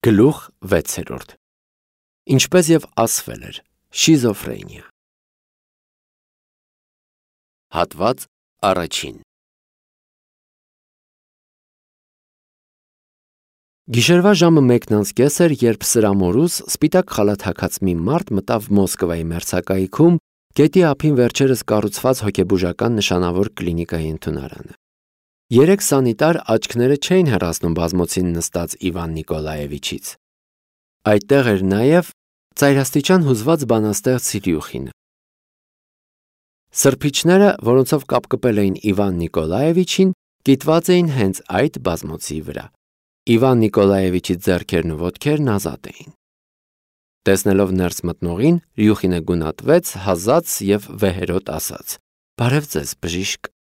Գլուխ 6. Ինչպես և ասվել էր, շիզոֆրենիա։ Հատված առաջին։ Գիշերվա ժամը 1:30 էր, երբ սրամորուս սպիտակ խալաթաքած մի մարդ մտավ Մոսկվայի մերձակայքում գետի ափին վերջերս կառուցված հոգեբուժական նշանավոր կլինիկայի ընդունարանը։ 3 սանիտար աչքները չէին հեռացնում բազմոցին նստած Իվան Նիկոլաևիչից։ Այդտեղ էր նաև ծայրաստիճան հուզված բանաստեղծ Սիրյուխինը։ Սրբիչները, որոնցով կապկպել էին Իվան Նիկոլաևիչին, կիտված էին հենց այդ բազմոցի վրա։ Իվան Նիկոլաևիչի ձեռքերն ու ոտքերն ազատ էին։ Տեսնելով ներս մտնողին, Ռյուխինը գունատվեց, հազաց և վեհերոտ ասաց. «Բարև ձեզ, բժիշկ»։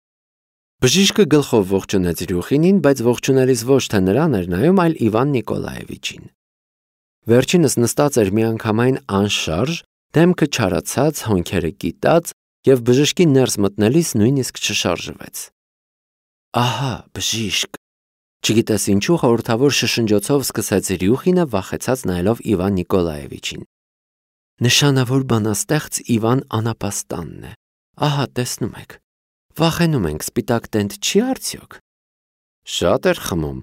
Բժիշկը գլխով ողջունեց Ռյուխինին, բայց ողջունելիս ոչ թե նրան էր նայում, այլ Իվան Նիկոլաևիչին։ Վերջինս նստած էր միանգամայն անշարժ, դեմքը չարացած, հոնքերը կիտած և բժշկի ներս մտնելիս նույնիսկ չշարժվեց։ «Ահա, բժիշկ», չգիտես ինչու խորհրդավոր շշնջոցով սկսեց Ռյուխինը, վախեցած նայելով Իվան Նիկոլաևիչին։ «Նշանավոր բանաստեղծ Իվան Անապաստանն է, ահա տեսնում եք։ Վախենում ենք, սպիտակ տենտ չի արդյոք»։ «Շատ էր խմում»,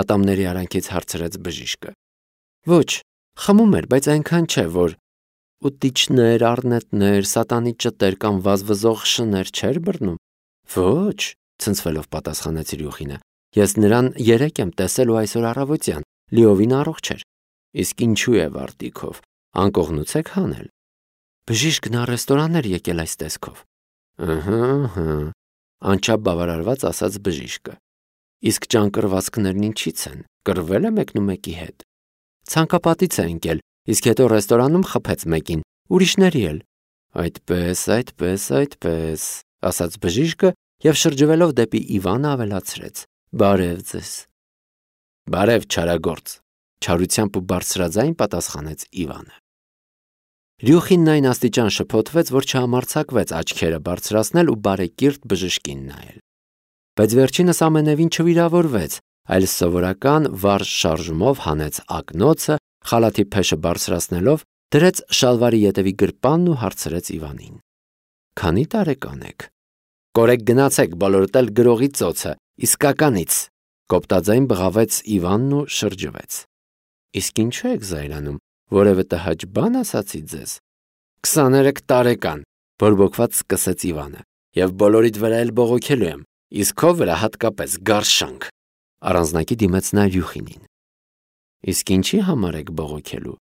ատամների արանքից հարցրեց բժիշկը։ «Ոչ, խմում էր, բայց այնքան չէ, որ ուտիչներ, առնետներ, սատանի ճտեր կամ վազվզող շներ չէր բռնում»։ «Ոչ», ցնցվելով պատասխանեց Ռյուխինը, «ես նրան երեկ եմ տեսել ու այսօր առավոտյան, լիովին առողջ էր։ Իսկ ինչու է վարտիքով, անկողնուց եք հանել»։ «Բժիշկն ռեստորան էր եկել այս տեսքով»։ «Ըհը», անչափ բավարարված ասաց բժիշկը։ «Իսկ ճանկռվածքներն ինչից են, կռվել է մեկնումեկի հետ»։ «Ցանկապատից է ընկել, իսկ հետո ռեստորանում խփեց մեկին, ուրիշների էլ»։ Այդպես, ասաց բժիշկը և շրջվելով դեպի Իվանը ավելացրեց. «Բարև ձեզ»։ «Բարև, չարագործ», չարությամբ ու բարձրաձայն պատասխանեց Իվանը։ Ռյուխինն այն աստիճան շփոթվեց, որ չհամարձակվեց աչքերը բարձրացնել ու բարեկիրթ բժշկին նայել։ Բայց վերջինս ամենևին չվիրավորվեց, այլ սովորական վառ շարժումով հանեց ակնոցը, խալաթի փեշը բարձրացնելով, դրեց շալվարի ետևի գրպանն ու հարցրեց Իվանին. «Քանի տարեկան եք»։ «Կորեք գնացեք, բոլորդ էլ գրողի ծոցը, իսկականից», կոպտաձայն բղավեց Իվանն ու շրջվեց։ «Իսկ ինչու եք զայրանում, որևէ տհաճ բան ասացի ձեզ»։ 23 տարեկան, բորբոքված սկսեց Իվանը, «և բոլորիդ վրա էլ բողոքելու եմ, իսկ քո վրա հատկապես գարշանք», առանձնակի դիմեց նա Ռյուխինին։ «Իսկ ինչի համար եք բողոքելու»։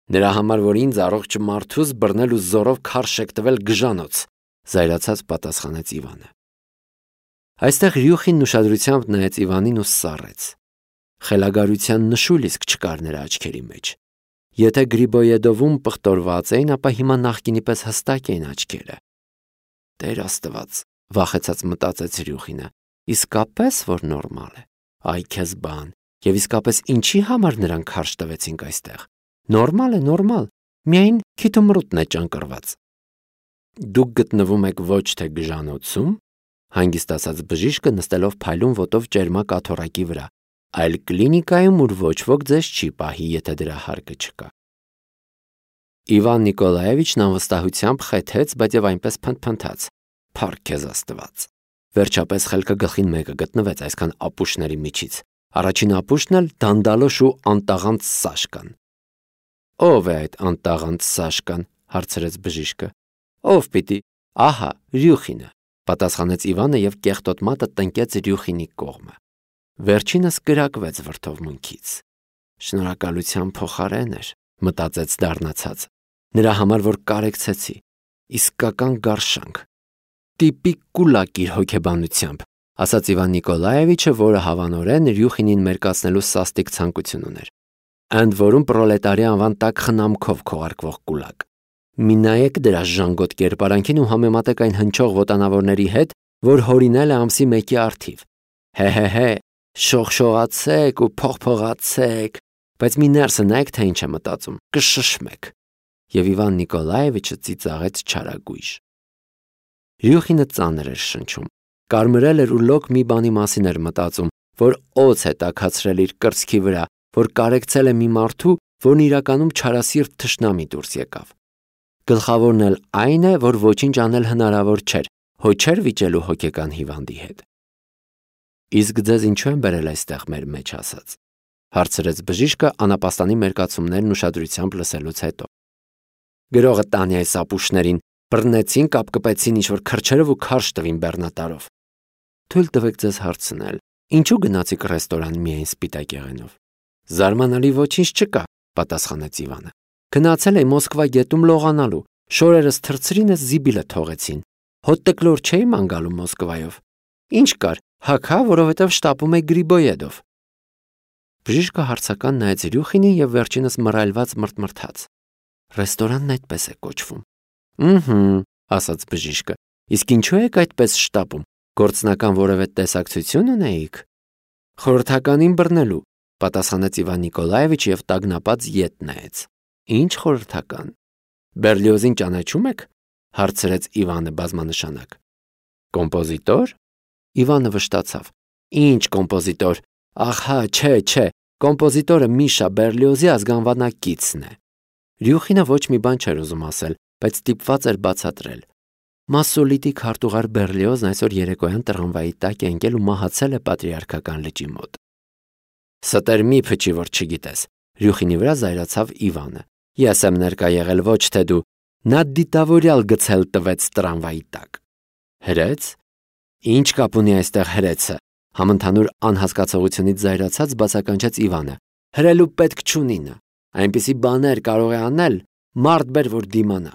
«Նրա համար, որ ինձ առողջ մարդուս բռնել ու զորով քարշ եք տվել գժանոց», զայրացած պատասխանեց Իվանը։ Այստեղ Ռյուխինն ուշադրությամբ նայեց Իվանին ու սառեց։ Խելագարության նշույլ իսկ չկար նրա աչքերի մեջ։ Եթե Գրիբոյեդովում պղտորված էին, ապա հիմա նախկինի պես հստակ էին աչքերը։ «Տեր Աստված», վախեցած մտածեց Ռյուխինը, «իսկապես որ նորմալ է։ Այ քեզ բան, և իսկապես ինչի համար նրան քարշ տվեցինք այստեղ։ Նորմալ է, նորմալ, միայն քիթումռուտն է ճանկռված»։ «Դուք գտնվում եք ոչ թե գժանոցում», հանգիստ ասաց բժիշկը, նստելով փայլուն ոտով ճերմակ աթոռակի վրա, «այլ կլինիկայում, ուր ոչ ոք ձեզ չի պահի, եթե դրա հարկը չկա»։ Իվան Նիկոլաևիչն անվստահությամբ խեթեց, բայց և այնպես փնթփնթաց. «Փառք քեզ Աստված»։ Վերջապես խելքը գլխին մեկը գտնվեց այսքան ապուշների միջից։ Առաջին ապուշն էլ դանդալոշ ու անտաղանդ Սաշկան։ «Ո՞վ է այդ անտաղանդ Սաշկան», հարցրեց բժիշկը։ «Ով պիտի, ահա, Ռյուխինը», պատասխանեց Իվանը և կեղտոտ մատը տնկեց Ռյուխինի կողմը։ Վերջինս կրակվեց վրդովմունքից։ «Շնորհակալության փոխարեն էր», մտածեց դառնացած, «նրա համար, որ կարեկցեցի, իսկական գարշանք։ Տիպիկ կուլակ իր հոգեբանությամբ», ասաց Իվան Նիկոլաևիչը, որը հավանորեն Ռյուխինին մերկացնելու սաստիկ ցանկություն ուներ։ «Ընդ որում պրոլետարի անվան տակ խնամքով քողարկվող կուլակ։ Մի նայեք դրա ժանգոտ կերպարանքին ու համեմատեք այն հնչող ոտանավորների հետ, որ հորինել է ամսի 1-ի առթիվ։ Հե, շողշողացեք ու փողփողացեք, բայց մի ներսը նայեք, թե ինչ է մտածում, կշշմեք»։ Եվ Իվան Նիկոլաևիչը ծիծաղեց չարագույժ։ Ռյուխինը ծանր էր շնչում, կարմրել էր ու լոկ մի բանի մասին էր մտածում, որ օձ է տաքացրել իր կրծքի վրա, որ կարեկցել է մի մարդու, որն իրականում չարասիրտ թշնամի դուրս եկավ։ Գլխավորն էլ այն է, որ ոչինչ անել հնարավոր չէր, հո չէր վիճելու հոգեկան հիվանդի հետ։ Իսկ ձեզ ինչու են բերել այստեղ մեր մեջ ասած, հարցրեց բժիշկը անապաստանի մերկացումներն ուշադրությամբ լսելուց հետո։ Գրողը տանի այս ապուշներին, բռնեցին, կապկպեցին ինչ-որ քրջերով ու քարշ տվին բեռնատարով։ Թույլ տվեք ձեզ հարցնել, ինչու գնացիք ռեստորան միայն սպիտակ եղենով։ Զարմանալի ոչինչ չկա, պատասխանեց Իվանը։ Գնացել էի Մոսկվա գետում լողանալու, շորերս թրծրինս զիբիլը թողեցին։ Հոտ տկլոր չէի ման գալու Մոսկվայով։ Ինչ կար, հագա, որովհետև շտապում էի Գրիբոյեդով։ Բժիշկը հարցական նայեց Ռյուխինին եւ վերջինս մռայլված մրթմրթաց։ Ռեստորանն այդպես է կոչվում։ Ասաց բժիշկը։ Իսկ ինչու եք այդպես շտապում։ Գործնական որևէ տեսակցություն ունեիք։ Խորհրդականին բռնելու, պատասխանեց Իվան Նիկոլաևիչ եւ տագնապած ետ նայեց։ Ինչ խորհրդական։ Բերլիոզին ճանաչում եք։ Հարցրեց Իվանը բազմանշանակ։ Կոմպոզիտոր։ Իվանը վշտացավ։ Ինչ կոմպոզիտոր։ Ահա, չէ, կոմպոզիտորը Միշա Բերլիոզի ազգանվանակիցն է։ Ռյուխինը ոչ մի բան չէր ուզում ասել, բայց ստիպված էր բացատրել։ Մասոլիտի քարտուղար Բերլիոզն այսօր երեկոյան տրամվայի տակ է ընկել ու մահացել է Պատրիարքական լճի մոտ։ Ստեր մի փչի, որ չգիտես։ Ռյուխինի վրա զայրացավ Իվանը։ Ես եմ ներկա եղել, ոչ թե դու։ Նա դիտավորյալ գցել տվեց տրամվայի տակ։ Հրեց։ Ինչ կապ ունի այստեղ հրեցը։ Համընդհանուր անհասկացողությունից զայրացած բացականչեց Իվանը։ Հրելու պետք չունի նա։ Այնպիսի բաներ կարող է անել, մարդ բեր, որ դիմանա։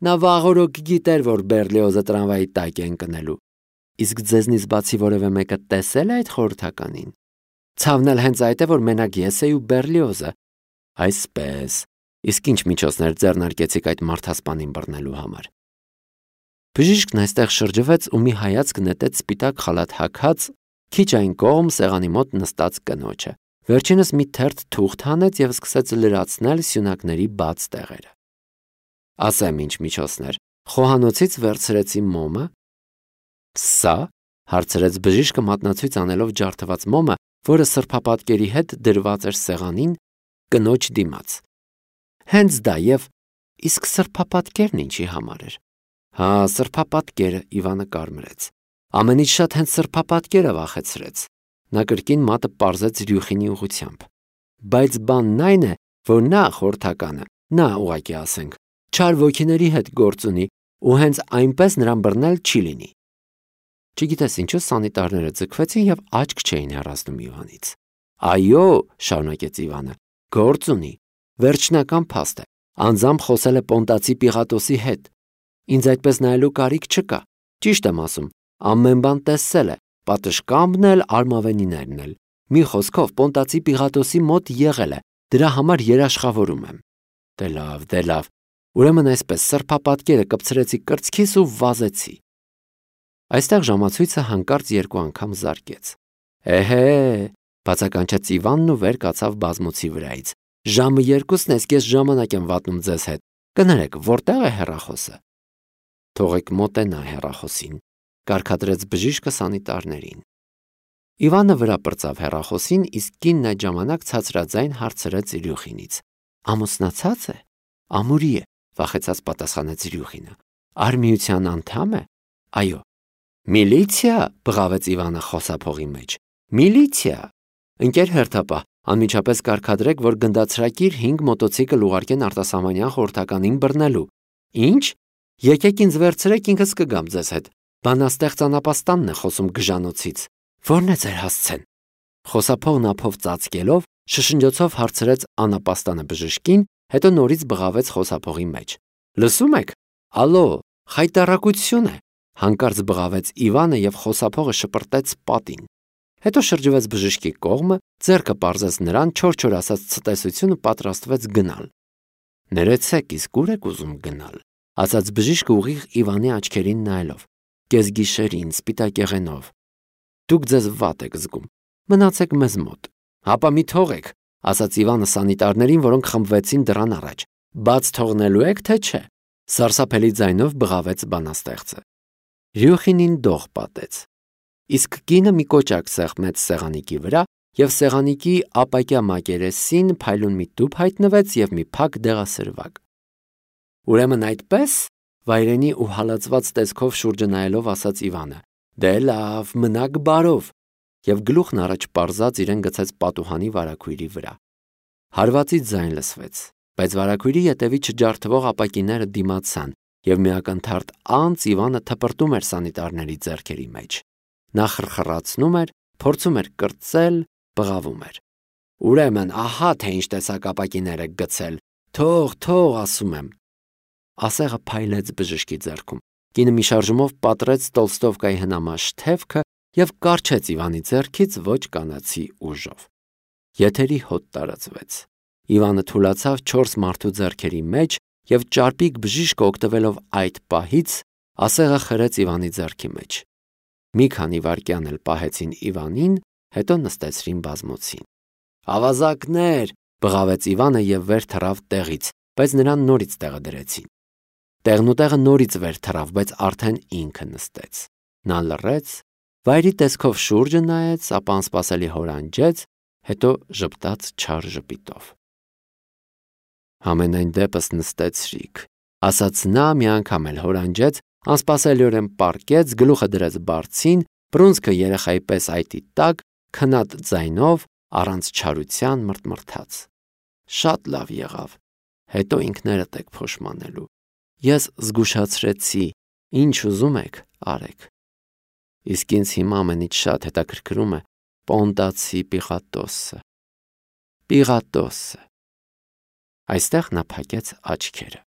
Նա վաղորոք գիտեր, որ Բերլիոզը տրամվայի տակ է ընկնելու։ Իսկ ձեզնից բացի որևէ մեկը տեսել է այդ խորհրդականին։ Ցավն էլ հենց այդ է, որ մենակ ես էի ու Բերլիոզը։ Այսպես։ Իսկ ինչ միջոցներ ձեռնարկեցիք այդ մարդասպանին բռնելու համար։ Բժիշկն այստեղ շրջվեց ու մի հայացք նետեց սպիտակ խալաթ հագած, քիչ այն կողմ սեղանի մոտ նստած կնոջը։ Վերջինս մի թերթ թուղթ հանեց եւ սկսեց լրացնել սյունակների բաց տեղերը։ Ասեմ ինչ միջոցներ։ Խոհանոցից վերցրեցի մոմը։ Սա, հարցրեց բժիշկը մատնացույց անելով ջարդված մոմը, որը սրբապատկերի հետ դրված էր սեղանին, կնոջ դիմաց։ Հենց դա եւ իսկ սրբապատկերն ինչի համար էր։ Հա, սրբապատկերը, Իվանը կարմրեց։ Ամենից շատ հենց սրբապատկերը վախեցրեց։ Նա կրկին մատը պարզեց Ռյուխինի ուղությամբ։ Բայց բանն այն է, որ նա խորհրդականը, նա ուղղակի ասենք, չար ոգիների հետ գործ ունի ու հենց այնպես նրան բռնել չի լինի։ Չգիտես ինչու սանիտարները ձգվեցին եւ աչք չէին հեռացնում Իվանից։ Այո, շարունակեց Իվանը, գործ ունի։ Վերջնական փաստ է։ Անձամբ խոսել է Պոնտացի Պիղատոսի հետ։ Ինձ այդպես նայելու կարիք չկա։ Ճիշտ եմ ասում, ամեն բան տեսել է, պատշգամբն էլ, արմավենիներն էլ։ Մի խոսքով Պոնտացի Պիղատոսի մոտ եղել է, դրա համար երաշխավորում եմ։ Դե լավ։ Ուրեմն այսպես սրբապատկերը կպցրեցի կրծքիս ու վազեցի։ Այստեղ ժամացույցը հանկարծ երկու անգամ զարկեց։ Էհե, բացականչեց Իվանն ու վեր կացավ բազմոցի վրայից։ Ժամը 2-ն է, ես ժամանակ եմ վատնում ձեզ հետ։ Կներեք, որտեղ է հեռախոսը։ Թողեք մոտենա հեռախոսին, կարգադրեց բժիշկը սանիտարներին։ Իվանը վրա պրծավ հեռախոսին, իսկ կինն այդ ժամանակ ցածրաձայն հարցրեց Ռյուխինից։ Ամուսնացած է։ Ամուրի է, վախեցած պատասխանեց Ռյուխինը։ Արմիության անդամ է։ Այո։ Միլիցիա, բղավեց Իվանը խոսափողի մեջ։ Միլիցիա։ Ընկեր հերթապահ, անմիջապես կարգադրեք, որ գնդացրակիր 5 մոտոցիկլ ուղարկեն արտասահմանյան խորհրդականին բռնելու։ Ինչ։ Եկեք ինձ վերցրեք, ինքս կգամ ձեզ հետ։ Բանաստեղծ անապաստանն է խոսում գժանոցից։ Ո՞րն է ձեր հասցեն։ Խոսափողն ափով ծածկելով, շշնջոցով հարցրեց անապաստանը բժշկին, հետո նորից բղավեց խոսափողի մեջ։ Լսում եք։ Ալո, խայտարակություն է։ Հանկարծ բղավեց Իվանը եւ խոսափողը շպրտեց պատին։ Հետո շրջվեց բժշկի կողմը, ձեռքը պարզեց նրան, չոր ասած ցտեսությունը պատրաստվեց գնալ։ Ներեցեք, իսկ ուր եք ուզում գնալ, ասաց բժիշկը ուղիղ Իվանի աչքերին նայելով։ Կեսգիշերին, սպիտակ եղենով։ Դուք ձեզ վատ եք զգում։ Մնացեք մեզ մոտ։ Հապա մի թողեք, ասաց Իվանը սանիտարներին, որոնք խմբվեցին դռան առաջ։ Բաց թողնելու եք, թե չէ։ Սարսափելի ձայնով բղավեց բանաստեղծը։ Ռյուխինին դող պատեց։ Իսկ կինը մի կոճակ սեղմեց սեղանիկի վրա, և սեղանիկի ապակյա մակերեսին փայլուն մի տուփ հայտնվեց և մի փակ դեղասրվակ։ «Ուրեմն այդպե՞ս», վայրենի ու հալածված տեսքով շուրջը նայելով ասաց Իվանը։ «Դե լավ, մնաք բարով», և գլուխն առաջ պարզած իրեն գցեց պատուհանի վարագույրի վրա։ Հարվածի ձայն լսվեց, բայց վարագույրի ետևից չջարդվող ապակիները դիմացան, և մի ակնթարթ անց Իվանը թպրտում էր սանիտարների ձեռքերի մեջ։ Նա խրխրացնում էր, փորձում էր կրծել, բղավում էր։ «Ուրեմն ահա թե ինչ տեսակ ապակիներ եք գցել, թող, ասում եմ»։ Ասեղը փայլեց բժշկի ձեռքում։ Կինը մի շարժումով պատռեց Տոլստովկայի հնամաշ թևքը և կառչեց Իվանի ձեռքից ոչ կանացի ուժով։ Եթերի հոտ տարածվեց։ Իվանը թուլացավ 4 մարդու ձեռքերի մեջ և ճարպիկ բժիշկը օգտվելով այդ պահից ասեղը խրեց Իվանի ձեռքի մեջ։ Մի քանի վայրկյան էլ պահեցին Իվանին, հետո նստեցրին բազմոցին։ «Ավազակներ», բղավեց Իվանը և վեր թռավ տեղից, բայց նրան նորից տեղը դրեցին։ Տեղնուտեղը նորից վեր թռավ, բայց արդեն ինքը նստեց։ Նա լռեց, վայրի տեսքով շուրջը նայեց, ապա անսպասելի հորանջեց, հետո ժպտաց չար ժպիտով։ «Համենայն դեպս նստեցրիք», ասաց նա, մի անգամ էլ հորանջեց, անսպասելիորեն պառկեց, գլուխը դրեց բարձին, բռունցքը երեխայի պես այտի տակ, քնած ձայնով, առանց չարության մռթմռթաց։ «Շատ լավ եղավ, հետո ինքներդ եք փոշմանելու։ Ես զգուշացրեցի, ինչ ուզում եք, արեք։ Իսկ ինձ հիմա ամենից շատ հետաքրքրում է Պոնտացի Պիղատոսը։ Այստեղ նա փակեց աչքերը։